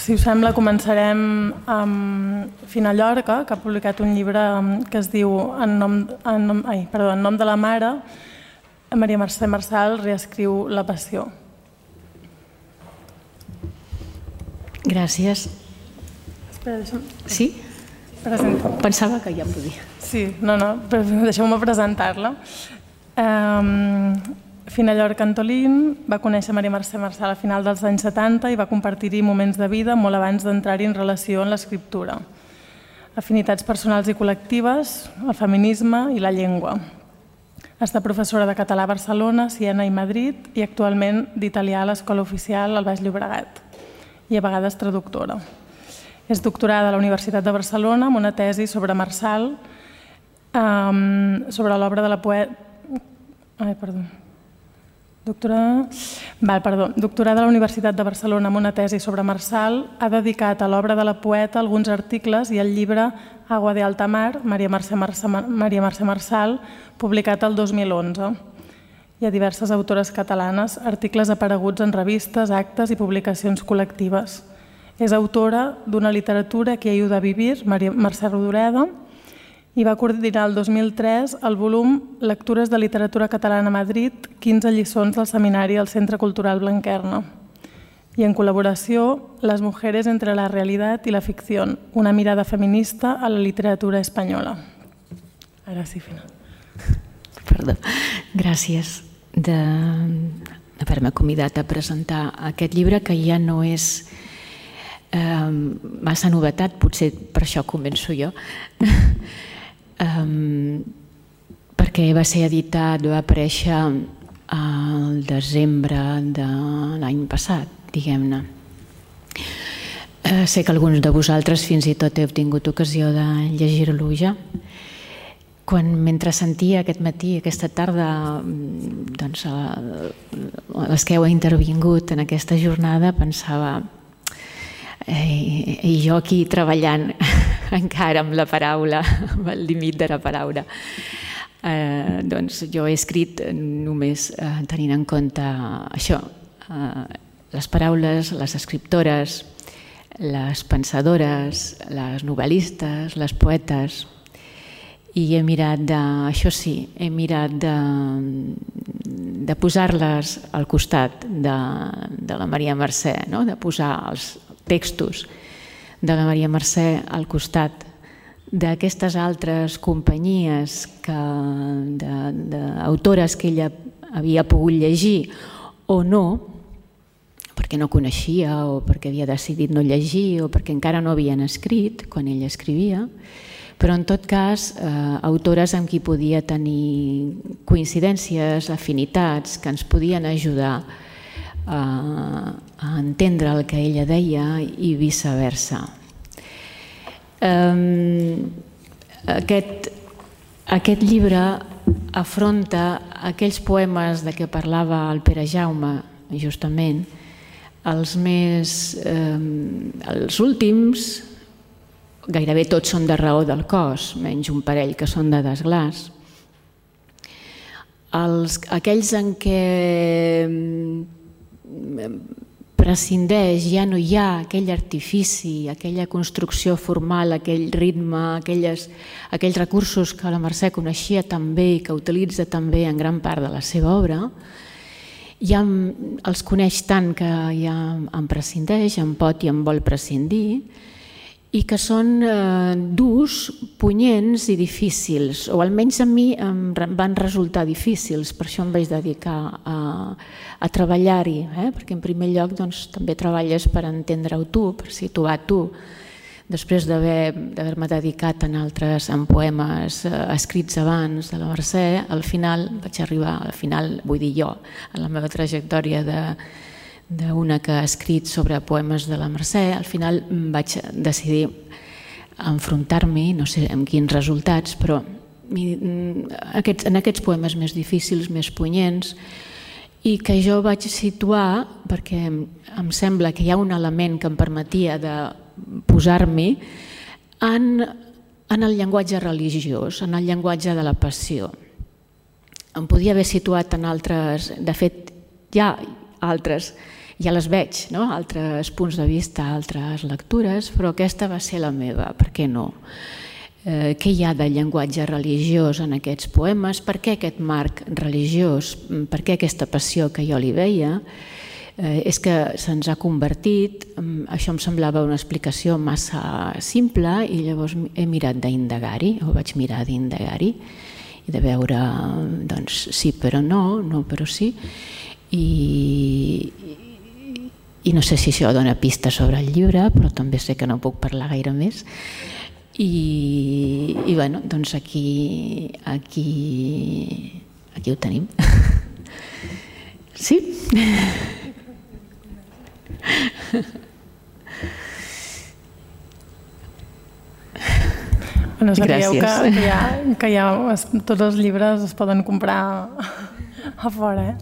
Si us sembla, començarem amb Fina Llorca, que ha publicat un llibre que es diu En nom de la mare. Maria Mercè Marçal reescriu La passió. Gràcies. Espera, deixa'm... Sí? Presento. Pensava que ja podia. Sí, no, deixeu-me presentar-la. Fina Llorca Antolín va conèixer Maria Mercè Marçal a final dels anys 70 i va compartir-hi moments de vida molt abans d'entrar-hi en relació amb l'escriptura. Afinitats personals i col·lectives, el feminisme i la llengua. Ha estat professora de català a Barcelona, Siena i Madrid i actualment d'italià a l'Escola Oficial al Baix Llobregat i a vegades traductora. És doctorada a la Universitat de Barcelona amb una tesi sobre Marçal, sobre l'obra de la poeta... Doctorada a la Universitat de Barcelona amb una tesi sobre Marçal, ha dedicat a l'obra de la poeta alguns articles i el llibre Agua de alta mar, Maria Mercè Marçal, publicat el 2011. Hi ha diverses autores catalanes, articles apareguts en revistes, actes i publicacions col·lectives. És autora d'Una literatura que ayuda a vivir, Mercè Rodoreda, i va coordinar el 2003 el volum Lectures de literatura catalana a Madrid, 15 lliçons del seminari al Centre Cultural Blanquerna. I en col·laboració, Las mujeres entre la realidad y la ficción, una mirada feminista a la literatura espanyola. Ara sí, Fina. Perdó. Gràcies d'haver-me convidat a presentar aquest llibre, que ja no és massa novetat, potser per això començo jo, perquè va ser editat, va aparèixer al desembre de l'any passat, diguem-ne. Sé que alguns de vosaltres fins i tot heu tingut ocasió de llegir-lo ja. Mentre sentia aquest matí, aquesta tarda, les que heu intervingut en aquesta jornada, pensava, i jo aquí treballant encara amb la paraula, amb el límit de la paraula, doncs jo he escrit només tenint en compte això, les paraules, les escriptores, les pensadores, les novel·listes, les poetes, i he mirat això sí, he mirat de posar-les al costat de la Maria Mercè, de posar els textos de la Maria Mercè al costat d'aquestes altres companyies d'autores que ella havia pogut llegir o no, perquè no coneixia o perquè havia decidit no llegir o perquè encara no havien escrit quan ella escrivia, però en tot cas autores amb qui podia tenir coincidències, afinitats, que ens podien ajudar a entendre el que ella deia i viceversa. Aquest llibre afronta aquells poemes de què parlava el Pere Jaume, justament, els últims, gairebé tots són de raó del cos, menys un parell que són de desglàs. Aquells en què prescindeix, ja no hi ha aquell artifici, aquella construcció formal, aquell ritme, aquells recursos que la Mercè coneixia tan bé i que utilitza tan bé en gran part de la seva obra, ja els coneix tant que ja en prescindeix, en pot i en vol prescindir, i que són durs, punyents i difícils, o almenys a mi em van resultar difícils, per això em vaig dedicar a treballar-hi, perquè en primer lloc també treballes per entendre-ho tu, per situar tu. Després d'haver-me dedicat en poemes escrits abans de la Mercè, al final vaig arribar, vull dir jo, en la meva trajectòria d'una que ha escrit sobre poemes de la Mercè, al final vaig decidir enfrontar-m'hi, no sé amb quins resultats, però en aquests poemes més difícils, més punyents, i que jo vaig situar, perquè em sembla que hi ha un element que em permetia de posar-m'hi en el llenguatge religiós, en el llenguatge de la passió. Em podia haver situat en altres, de fet hi ha altres ja les veig, altres punts de vista, altres lectures, però aquesta va ser la meva, per què no? Què hi ha de llenguatge religiós en aquests poemes? Per què aquest marc religiós? Per què aquesta passió que jo li veia? És que se'ns ha convertit, això em semblava una explicació massa simple i llavors he mirat d'indagar-hi, o vaig mirar d'indagar-hi i de veure, doncs, sí però no, no però sí, i no sé si això dona pistes sobre el llibre, però també sé que no puc parlar gaire més. I bueno, doncs aquí ho tenim. Sí? Bueno, sabíeu que tots els llibres es poden comprar a fora.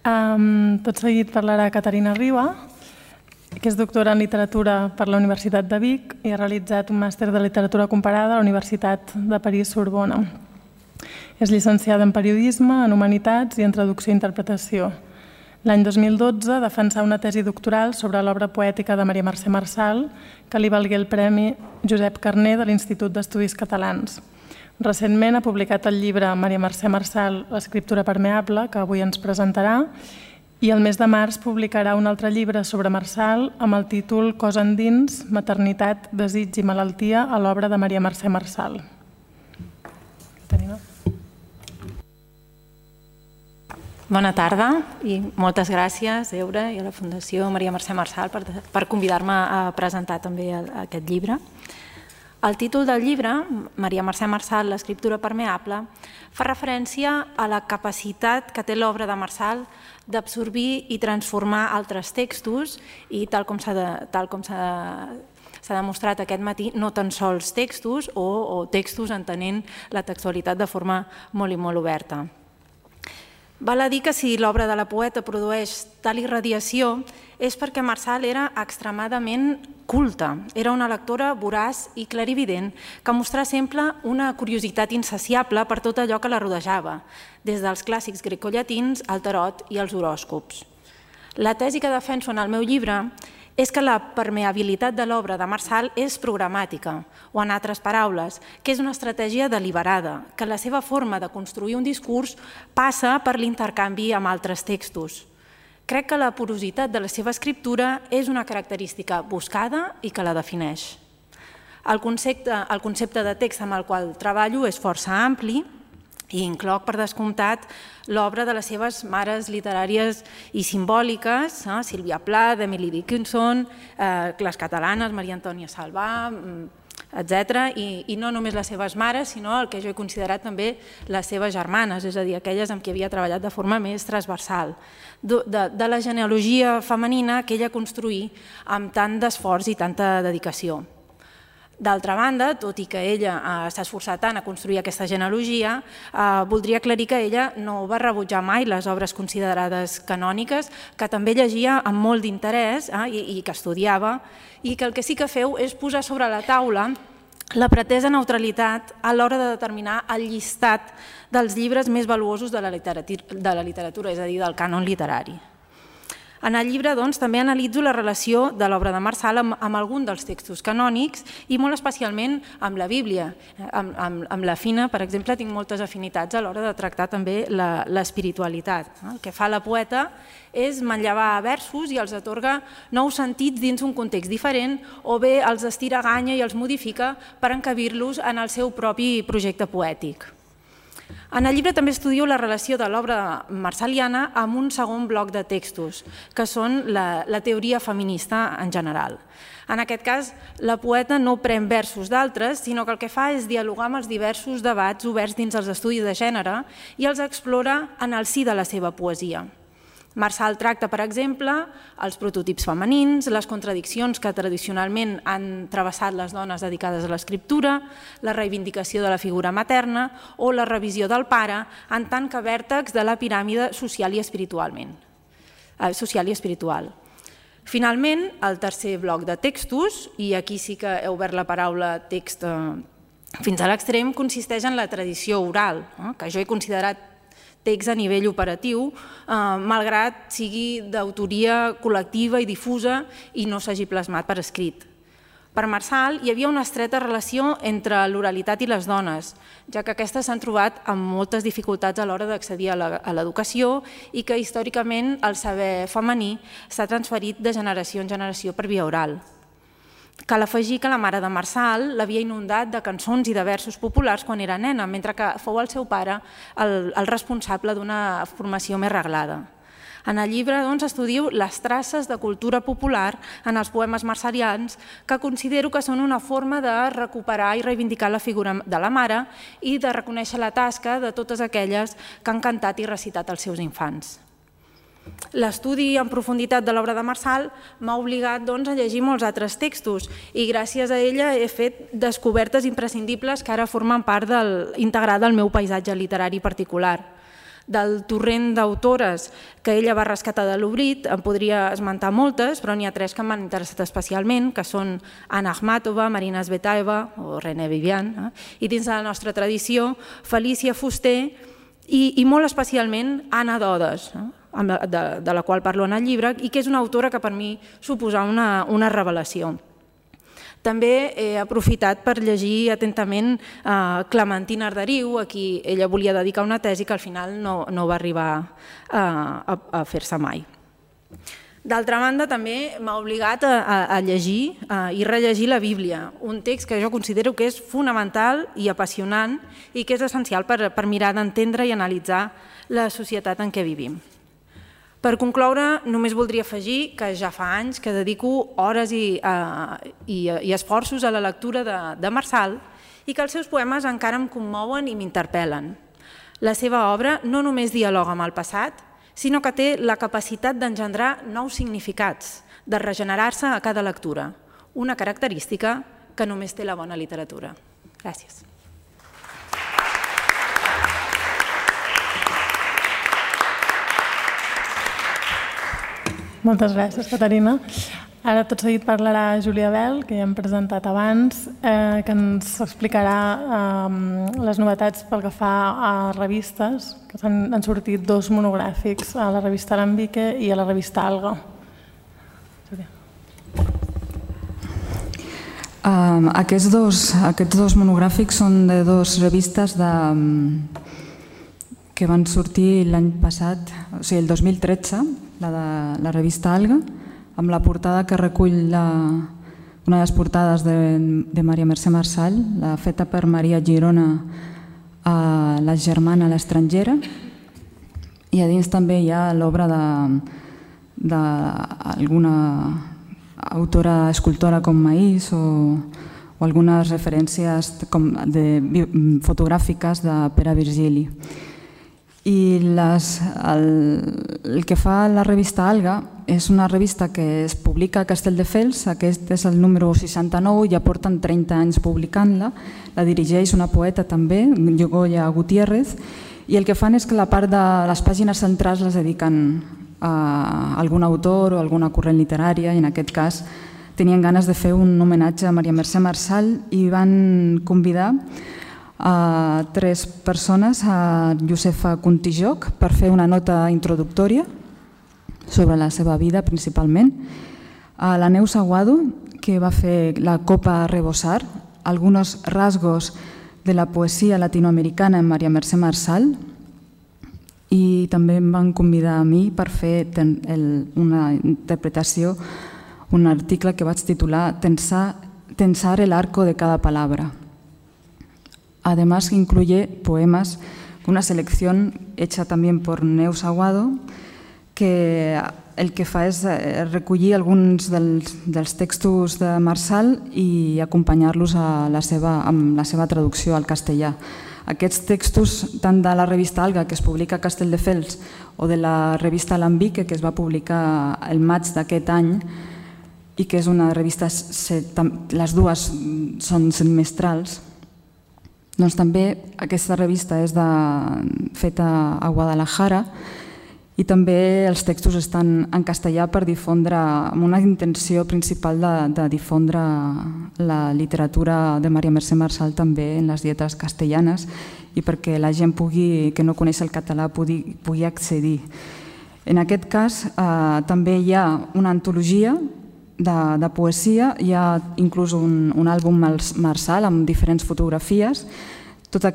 Tot seguit parlarà Caterina Riba, que és doctora en literatura per la Universitat de Vic i ha realitzat un màster de literatura comparada a la Universitat de París-Sorbona. És llicenciada en periodisme, en humanitats i en traducció i interpretació. L'any 2012 defensà una tesi doctoral sobre l'obra poètica de Maria Mercè Marçal, que li valgué el Premi Josep Carner de l'Institut d'Estudis Catalans. Recentment ha publicat el llibre Maria Mercè Marçal, l'escriptura permeable, que avui ens presentarà, i el mes de març publicarà un altre llibre sobre Marçal amb el títol Cos endins, maternitat, desig i malaltia a l'obra de Maria Mercè Marçal. Bona tarda i moltes gràcies, Eure, i a la Fundació Maria Mercè Marçal per convidar-me a presentar també aquest llibre. El títol del llibre, Maria Mercè Marçal, l'escriptura permeable, fa referència a la capacitat que té l'obra de Marçal d'absorbir i transformar altres textos i, tal com s'ha demostrat aquest matí, no tan sols textos o textos entenent la textualitat de forma molt i molt oberta. Val a dir que si l'obra de la poeta produeix tal irradiació és perquè Marçal era extremadament culta. Era una lectora voraç i clarivident que mostrava sempre una curiositat insaciable per tot allò que la rodejava, des dels clàssics grecollatins al tarot i als horòscops. La tesi que defenso en el meu llibre és que la permeabilitat de l'obra de Marçal és programàtica, o en altres paraules, que és una estratègia deliberada, que la seva forma de construir un discurs passa per l'intercanvi amb altres textos. Crec que la porositat de la seva escriptura és una característica buscada i que la defineix. El concepte de text amb el qual treballo és força ampli i incloc, per descomptat, l'obra de les seves mares literàries i simbòliques, Sílvia Plath, Emily Dickinson, les catalanes, Maria Antònia Salvà, etc. I no només les seves mares, sinó el que jo he considerat també les seves germanes, és a dir, aquelles amb qui havia treballat de forma més transversal, de la genealogia femenina que ella construí amb tant d'esforç i tanta dedicació. D'altra banda, tot i que ella s'ha esforçat tant a construir aquesta genealogia, voldria aclarir que ella no va rebutjar mai les obres considerades canòniques, que també llegia amb molt d'interès i que estudiava, i que el que sí que feu és posar sobre la taula la pretesa neutralitat a l'hora de determinar el llistat dels llibres més valuosos de la literatura, és a dir, del cànon literari. En el llibre, doncs, també analitzo la relació de l'obra de Marçal amb algun dels textos canònics i molt especialment amb la Bíblia. Amb la Fina, per exemple, tinc moltes afinitats a l'hora de tractar també l'espiritualitat. El que fa la poeta és manllevar versos i els atorga nous sentits dins un context diferent o bé els estira a ganya i els modifica per encabir-los en el seu propi projecte poètic. En el llibre també estudio la relació de l'obra marçaliana amb un segon bloc de textos, que són la teoria feminista en general. En aquest cas, la poeta no pren versos d'altres, sinó que el que fa és dialogar amb els diversos debats oberts dins els estudis de gènere i els explora en el si de la seva poesia. Marçal tracta, per exemple, els prototips femenins, les contradiccions que tradicionalment han travessat les dones dedicades a l'escriptura, la reivindicació de la figura materna o la revisió del pare en tant que vèrtex de la piràmide social i espiritual. Finalment, el tercer bloc de textos, i aquí sí que he obert la paraula text fins a l'extrem, consisteix en la tradició oral, que jo he considerat text a nivell operatiu, malgrat sigui d'autoria col·lectiva i difusa i no s'hagi plasmat per escrit. Per Marsal hi havia una estreta relació entre l'oralitat i les dones, ja que aquestes s'han trobat amb moltes dificultats a l'hora d'accedir a l'educació i que històricament el saber femení s'ha transferit de generació en generació per via oral. Cal afegir que la mare de Marsal l'havia inundat de cançons i de versos populars quan era nena, mentre que fou el seu pare el responsable d'una formació més reglada. En el llibre estudio les traces de cultura popular en els poemes marsalians, que considero que són una forma de recuperar i reivindicar la figura de la mare i de reconèixer la tasca de totes aquelles que han cantat i recitat als seus infants. L'estudi en profunditat de l'obra de Marsal m'ha obligat a llegir molts altres textos i gràcies a ella he fet descobertes imprescindibles que ara formen part integrada del meu paisatge literari particular. Del torrent d'autores que ella va rescatar de l'Obrit en podria esmentar moltes, però n'hi ha 3 que m'han interessat especialment, que són Anna Akhmatova, Marina Tsvetaeva o René Vivian, i dins de la nostra tradició, Felícia Fuster i molt especialment Anna Dodes, de la qual parlo en el llibre, i que és una autora que per mi suposa una revelació. També he aprofitat per llegir atentament Clementina Arderiu, a qui ella volia dedicar una tesi que al final no va arribar a fer-se mai. D'altra banda, també m'ha obligat a llegir i rellegir la Bíblia, un text que jo considero que és fonamental i apassionant i que és essencial per mirar d'entendre i analitzar la societat en què vivim. Per concloure, només voldria afegir que ja fa anys que dedico hores i esforços a la lectura de Marsal i que els seus poemes encara em commouen i m'interpel·len. La seva obra no només dialoga amb el passat, sinó que té la capacitat d'engendrar nous significats, de regenerar-se a cada lectura, una característica que només té la bona literatura. Gràcies. Moltes gràcies, Caterina. Ara tot seguit parlarà Júlia Bel, que ja hem presentat abans, que ens explicarà les novetats pel que fa a revistes, que han sortit 2 monogràfics, a la revista Alambique i a la revista Alga. Aquests dos monogràfics són de 2 revistes que van sortir l'any passat, o sigui, el 2013, la revista Alga, amb la portada que recull una de les portades de Maria Mercè Marçal, feta per Maria Girona, la germana a l'estrangera, i a dins també hi ha l'obra d'alguna autora escultora com Maís o algunes referències fotogràfiques de Pere Virgili. I el que fa la revista Alga és una revista que es publica a Castelldefels, aquest és el número 69, ja porten 30 anys publicant-la, la dirigeix una poeta també, Goya Gutiérrez, i el que fan és que la part de les pàgines centrals les dediquen a algun autor o alguna corrent literària, i en aquest cas tenien ganes de fer un homenatge a Maria Mercè Marçal i van convidar a 3 persones, a Josefa Contijoc per fer una nota introductòria sobre la seva vida principalment, a la Neus Aguado, que va fer la Copa Rebosar, algunos rasgos de la poesia latinoamericana en Maria Mercè Marçal, i també em van convidar a mi per fer una interpretació, un article que vaig titular Tensar el arco de cada palabra. Además, incluye poemas, una selección hecha también por Neus Aguado, que el que fa és recollir alguns dels textos de Marçal i acompanyar-los amb la seva traducció al castellà. Aquests textos, tant de la revista Alga, que es publica a Castelldefels, o de la revista Alambique, que es va publicar el maig d'aquest any, i que és una revista, les dues són semestrals, doncs també aquesta revista és feta a Guadalajara I també els textos estan en castellà per difondre, amb una intenció principal de difondre la literatura de Maria Mercè Marçal també en les lletres castellanes i perquè la gent que no coneix el català pugui accedir. En aquest cas també hi ha una antologia de poesia, hi ha inclús un àlbum Marçal amb diferents fotografies. Tota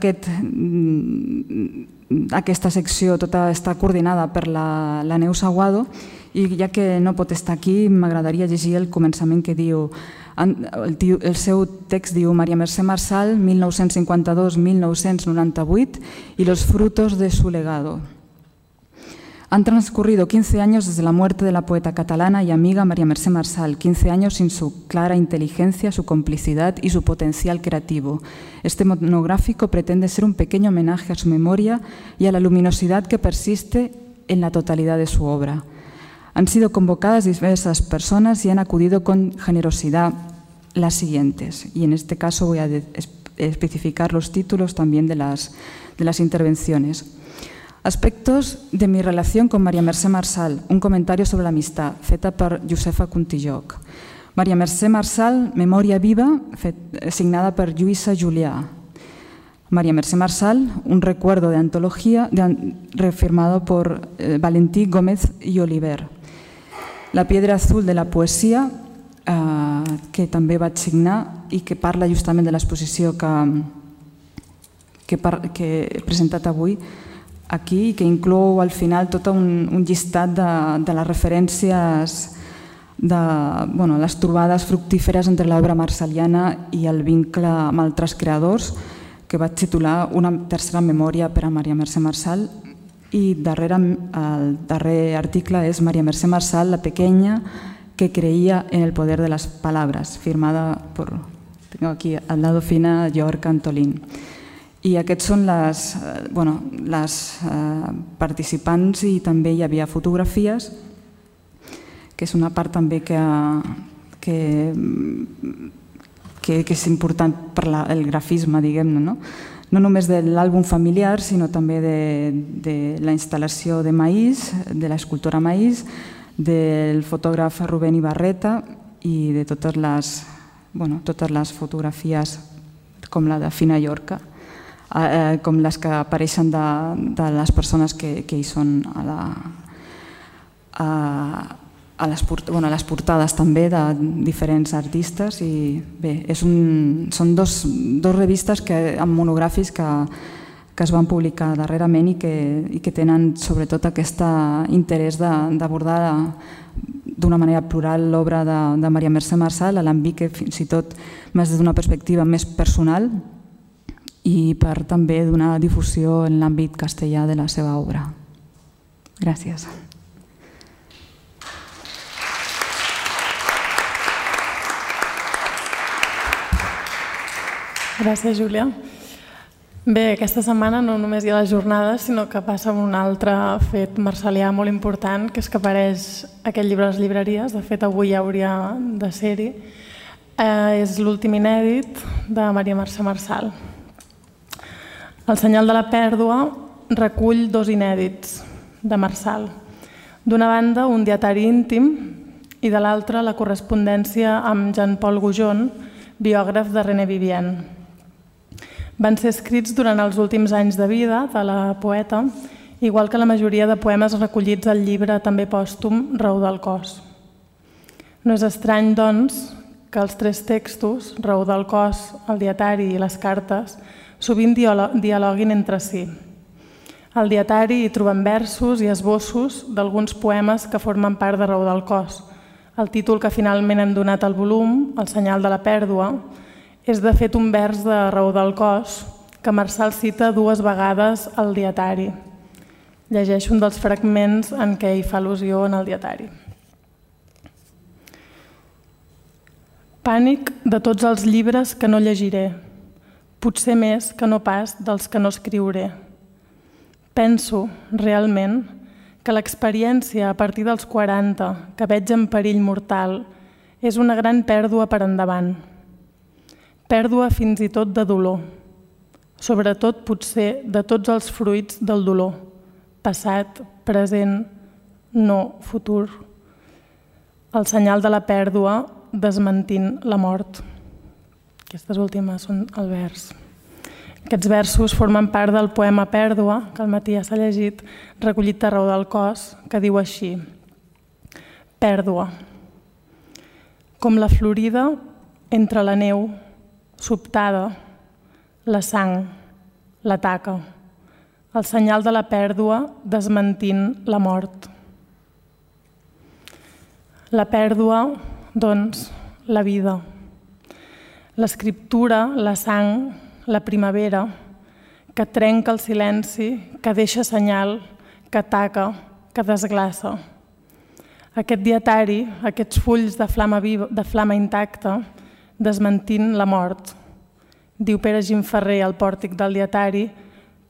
aquesta secció està coordinada per la Neus Aguado i ja que no pot estar aquí m'agradaria llegir el començament que diu, el seu text diu María Mercè Marçal 1952-1998 y los frutos de su legado. Han transcurrido 15 años desde la muerte de la poeta catalana y amiga María Mercè Marçal, 15 años sin su clara inteligencia, su complicidad y su potencial creativo. Este monográfico pretende ser un pequeño homenaje a su memoria y a la luminosidad que persiste en la totalidad de su obra. Han sido convocadas diversas personas y han acudido con generosidad las siguientes. Y en este caso voy a especificar los títulos también de las intervenciones. Aspectos de mi relación con María Mercè Marçal, un comentario sobre la amistad, feta per Josefa Contilloc. María Mercè Marçal, Memòria viva, signada per Lluïsa Julià. María Mercè Marçal, un recuerdo de antología, refirmado por Valentí Gómez y Oliver. La piedra azul de la poesia, que també vaig signar i que parla justament de l'exposició que he presentat avui, aquí, que inclou al final tot un llistat de les referències de les trobades fructíferes entre l'obra marsaliana i el vincle amb altres creadors, que vaig titular Una tercera memòria per a Maria Mercè Marçal, i el darrer article és Maria Mercè Marçal, la pequeña que creía en el poder de las palabras, firmada por, tengo aquí al lado fina, York Antolín. I aquests són les participants i també hi havia fotografies, que és una part també que és important per el grafisme, diguem-ne, no? No només de l'àlbum familiar, sinó també de la instal·lació de Maís, de l'escultora Maís, del fotògraf Rubén Ibarreta i de totes les fotografies com la de Fina Llorca, com les que apareixen de les persones que hi són a les portades també de diferents artistes. I bé, són dos revistes amb monogràfics que es van publicar darrerament i que tenen sobretot aquest interès d'abordar d'una manera plural l'obra de Maria Mercè Marçal, a l'àmbit que fins i tot més d'una perspectiva més personal i per també donar difusió en l'àmbit castellà de la seva obra. Gràcies. Gràcies, Júlia. Bé, aquesta setmana no només hi ha les jornades, sinó que passa un altre fet marsalià molt important, que és que apareix aquest llibre a les llibreries. De fet, avui ja hauria de ser-hi. És l'últim inèdit de Maria Mercè Marçal. El senyal de la pèrdua recull dos inèdits de Marçal. D'una banda, un dietari íntim i de l'altra, la correspondència amb Jean-Paul Goujon, biògraf de René Vivien. Van ser escrits durant els últims anys de vida de la poeta, igual que la majoria de poemes recollits al llibre també pòstum Raó del cos. No és estrany, doncs, que els tres textos, Raó del cos, el dietari i les cartes, sovint dialoguin entre si. Al dietari hi trobem versos i esbossos d'alguns poemes que formen part de Raó del cos. El títol que finalment hem donat al volum, El senyal de la pèrdua, és de fet un vers de Raó del cos que Marçal cita dues vegades al dietari. Llegeixo un dels fragments en què hi fa al·lusió en el dietari. Pànic de tots els llibres que no llegiré, potser més que no pas dels que no escriuré. Penso, realment, que l'experiència a partir dels 40 que veig en perill mortal és una gran pèrdua per endavant. Pèrdua fins i tot de dolor, sobretot potser de tots els fruits del dolor, passat, present no futur. El senyal de la pèrdua desmentint la mort. Aquestes últimes són el vers. Aquests versos formen part del poema Pèrdua, que al matí ja s'ha llegit, recollit a Raó del Cos, que diu així: Pèrdua. Com la florida entre la neu, sobtada, la sang, la taca, el senyal de la pèrdua desmentint la mort. La pèrdua, doncs, la vida. L'escriptura, la sang, la primavera, que trenca el silenci, que deixa senyal, que taca, que desglaça. Aquest dietari, aquests fulls de flama viva, de flama intacta, desmentint la mort. Diu Pere Gimferrer al pòrtic del dietari: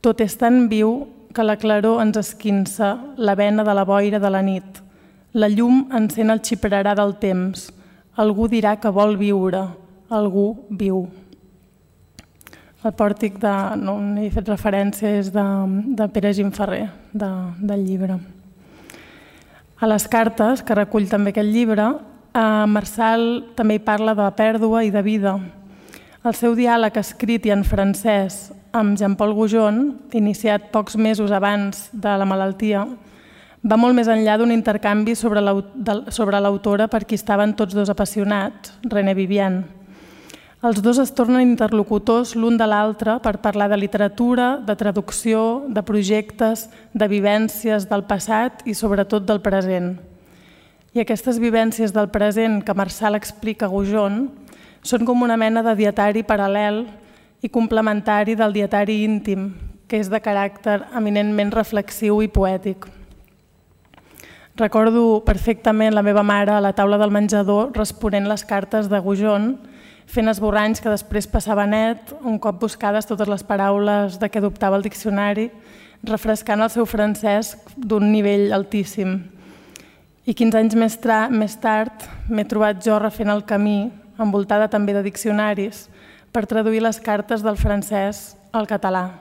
tot és tan viu que la claror ens esquinça la vena de la boira de la nit. La llum encén el xiprerà del temps. Algú dirà que vol viure. Algú viu. El pòrtic on he fet referència és de Pere Gimferrer, del llibre. A les cartes, que recull també aquest llibre, Marçal també hi parla de pèrdua i de vida. El seu diàleg escrit i en francès amb Jean-Paul Goujon, iniciat pocs mesos abans de la malaltia, va molt més enllà d'un intercanvi sobre l'autora per qui estaven tots dos apassionats, René Vivian. Els dos es tornen interlocutors l'un de l'altre per parlar de literatura, de traducció, de projectes, de vivències del passat i sobretot del present. I aquestes vivències del present que Marçal explica a Goujon són com una mena de dietari paral·lel i complementari del dietari íntim, que és de caràcter eminentment reflexiu i poètic. Recordo perfectament la meva mare a la taula del menjador responent les cartes de Goujon, fent esborranys que després passava net, un cop buscades totes les paraules de què dubtava el diccionari, refrescant el seu francès d'un nivell altíssim. I 15 anys més tard m'he trobat jo refent el camí, envoltada també de diccionaris, per traduir les cartes del francès al català,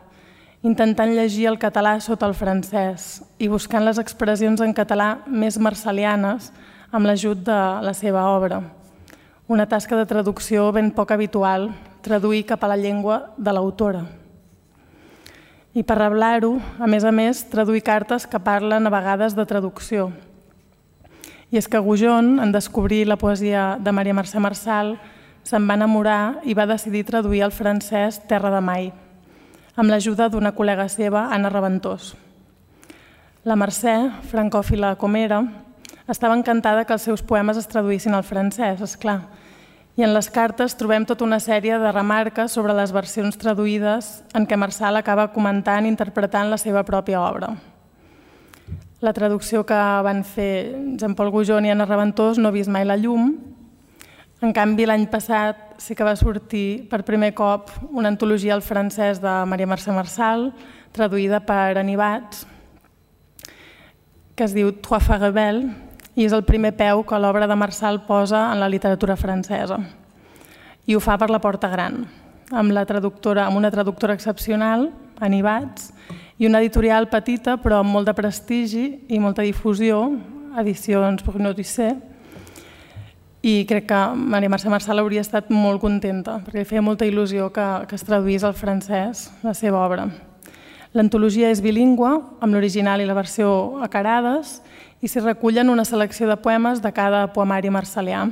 intentant llegir el català sota el francès i buscant les expressions en català més marçalianes amb l'ajut de la seva obra. Una tasca de traducció ben poc habitual, traduir cap a la llengua de l'autora. I per reblar-ho, a més, traduir cartes que parlen a vegades de traducció. I és que Goujon, en descobrir la poesia de Maria Mercè Marçal, se'n va enamorar i va decidir traduir al francès Terra de Mai, amb l'ajuda d'una col·lega seva, Anna Raventós. La Mercè, francòfila com era, estava encantada que els seus poemes es traduïssin al francès, esclar. I en les cartes trobem tota una sèrie de remarques sobre les versions traduïdes en què Marçal acaba comentant i interpretant la seva pròpia obra. La traducció que van fer Jean-Paul Goujon i Anna Raventós no ha vist mai la llum. En canvi, l'any passat sí que va sortir per primer cop una antologia al francès de Maria Mercè Marçal, traduïda per Anibats, que es diu Trois fois rebelle, i és el primer peu que l'obra de Marçal posa en la literatura francesa. I ho fa per la Porta Gran, amb una traductora excepcional, Anibats, i una editorial petita però amb molt de prestigi i molta difusió, Edicions Bruno Dusset, i crec que Maria Mercè Marçal hauria estat molt contenta, perquè li feia molta il·lusió que es traduís al francès la seva obra. L'antologia és bilingüe, amb l'original i la versió a carades, i s'hi recullen una selecció de poemes de cada poemari marçalià.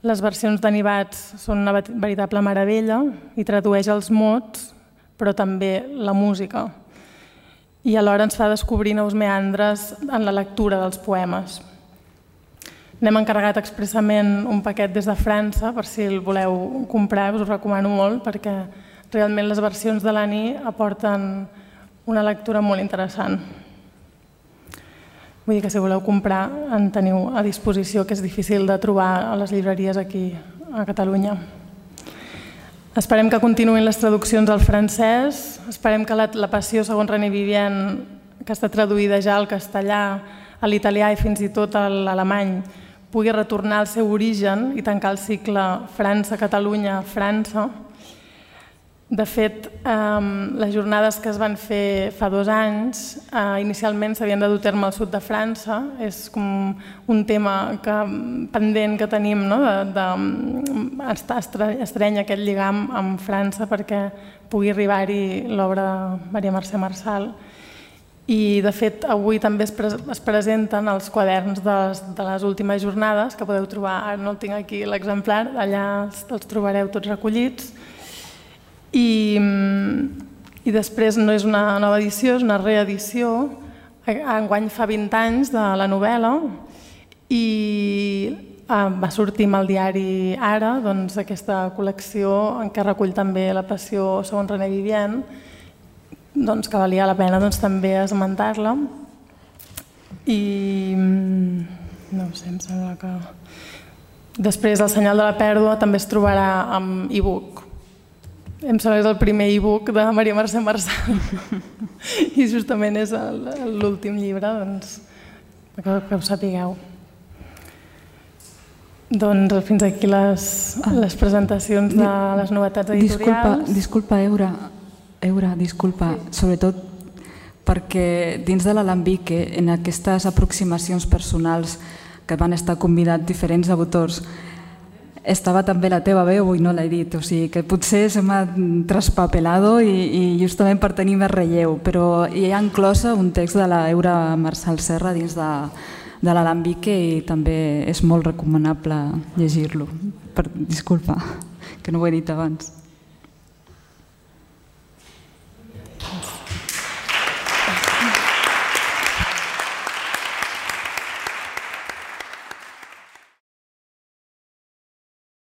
Les versions d'Anibats són una veritable meravella i tradueix els mots, però també la música. I alhora ens fa descobrir nous meandres en la lectura dels poemes. N'hem encarregat expressament un paquet des de França, per si el voleu comprar, us ho recomano molt, perquè realment les versions de l'Ani aporten una lectura molt interessant. Vull dir que si voleu comprar en teniu a disposició, que és difícil de trobar a les llibreries aquí a Catalunya. Esperem que continuïn les traduccions al francès, esperem que la Passió, segons René Vivian, que està traduïda ja al castellà, a l'italià i fins i tot a l'alemany, pugui retornar al seu origen i tancar el cicle França-Catalunya-França. De fet, les jornades que es van fer fa 2 anys, inicialment s'havien de dur a terme al sud de França. És com un tema pendent que tenim, d'estrènyer aquest lligam amb França perquè pugui arribar-hi l'obra de Maria Mercè Marçal. I, de fet, avui també es presenten els quaderns de les últimes jornades, que podeu trobar, ara no el tinc aquí l'exemplar, allà els trobareu tots recollits. I després no és una nova edició, és una reedició. Enguany fa 20 anys de la novel·la i va sortir amb el diari Ara aquesta col·lecció en què recull també La passió segons René Vivien, que valia la pena també esmentar-la. I no ho sé, em sembla que... Després El senyal de la pèrdua també es trobarà amb e-book. Em sembla que és el primer e-book de Maria Mercè Marçal i justament és l'últim llibre, que ho sapigueu. Doncs fins aquí les presentacions de les novetats editorials. Disculpa, Eura, disculpa, sobretot perquè dins de l'Alambique, en aquestes aproximacions personals que van estar convidats diferents autors, estava també la teva veu i no l'he dit, o sigui que potser se m'ha traspapelado i justament per tenir més relleu, però hi ha inclosa un text de l'Eura Marçal Serra dins de l'Alambique i també és molt recomanable llegir-lo. Disculpa, que no ho he dit abans.